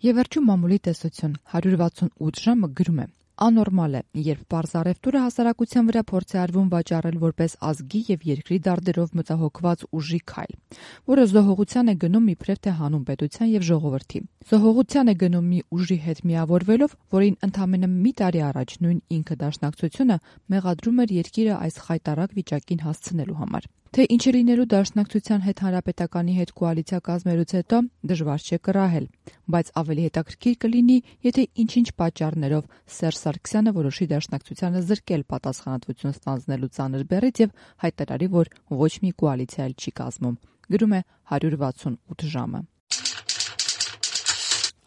Եվ վերջում մամուլի տեսություն 168 ժամը գրում է. Անորմալ է, երբ պարզ առևտուրը հասարակության վրա փորձ է արվում վաճառել որպես ազգի եւ երկրի դարդերով մտահոգված ուժի քայլ, որը զոհողության է գնում իբրև թե հանուն պետության եւ ժողովրդի։ Զոհողության է գնում մի ուժի հետ միավորվելով, որին ընդամենը մի տարի առաջ նույն ինքը Դաշնակցությունը մեղադրում էր երկիրը այս խայտառակ վիճակին հասցնելու համար։ Թե ինչ է լինելու Դաշնակցության հետ Հանրապետականի հետ կոալիցիա կազմելուց հետո դժվար չէ կռահել, բայց ավելի հետաքրքիր կլինի, եթե ինչ-ինչ պատճառներով Սերժ Սարգսյանը որոշի Դաշնակցությանը զրկել պատասխանատվություն ստանձնելու ծանր բեռից եւ հայտարարի, որ ոչ մի կոալիցիա էլ չի կազմում։ Գրում է 168 ժամը։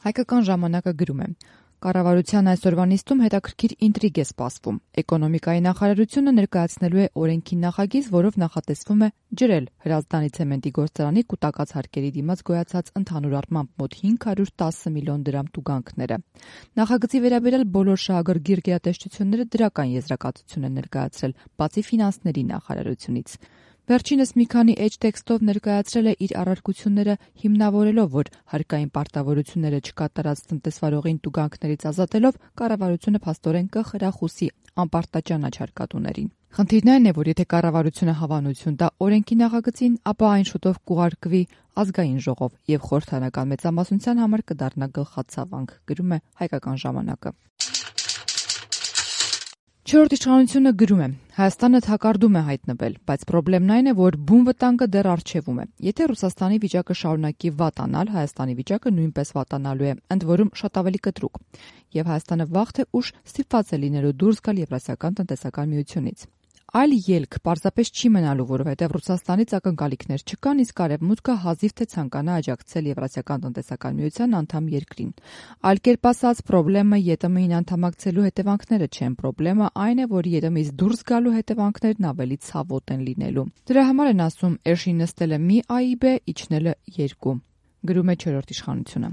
Հայկական ժամանակը գրում է. Կառավարության այսօրվա նիստում հետաքրքիր ինտրիգ է սպասվում։ Էկոնոմիկայի նախարարությունը ներկայացնելու է օրենքի նախագիծ, որով նախատեսվում է ջրել Հրազդանի ցեմենտի գործարանի կուտակած հարկերի դիմաց գոյացած ընդհանուր առմամբ մոտ 510 միլիոն դրամ տուգանքները։ Նախագծի վերաբերյալ բոլոր շահագրգիռ գերատեսչությունները դրական եզրակացություն են ներկայացրել, բացի ֆինանսների նախարարությունից։ Վերջինս մի քանի էջ տեքստով ներկայացրել է իր առարկությունները հիմնավորելով, որ հարկային պարտավորությունները չկատարած տնտեսվարողին տուգանքներից ազատելով կառավարությունը փաստորեն կխրախուսի անպարտաճանաչ հարկատուներին։ Խնդիրն այն է, որ եթե կառավարությունը հավանություն տա օրենքի նախագծին, ապա այն շուտով կուղարկվի ազգային ժողով եւ խորհրդարանական մեծամասնության համար կդառնա գլխացավանք, գրում է Հայկական ժամանակը։ Չորրորդ իշխանությունը գրում է. Հայաստանը թակարդում է հայտնվել, բայց խնդիրն այն է, որ բուն վտանգը դեռ առջևում է։ Եթե Ռուսաստանի վիճակը շարունակի վատանալ, Հայաստանի վիճակը նույնպես վատանալու է, ընդ որում շատ ավելի կտրուկ։ Եվ Հայաստանը վաղ թե ուշ ստիպված է լինելու դուրս գալ Եվրասիական տնտեսական միությունից։ Այլ ելք պարզապես չի մնալու, որովհետև Ռուսաստանից ակնկալիքներ չկան, իսկ Արևմուտքը հազիվ թե ցանկանա աջակցել Եվրասիական տնտեսական միության անդամ երկրին։ Այլ կերպ ասած, խնդրեմը ԵՏՄ-ին անդամակցելու հետևանքները չեն, խնդրեմը այն է, որ ԵՏՄ-ից դուրս գալու հետևանքներն ավելի ցավոտ են լինելու։ Դրա համար են ասում, էշին նստելը մի AIB, իջնելը 2, գրում է չորրորդ իշխանությունը։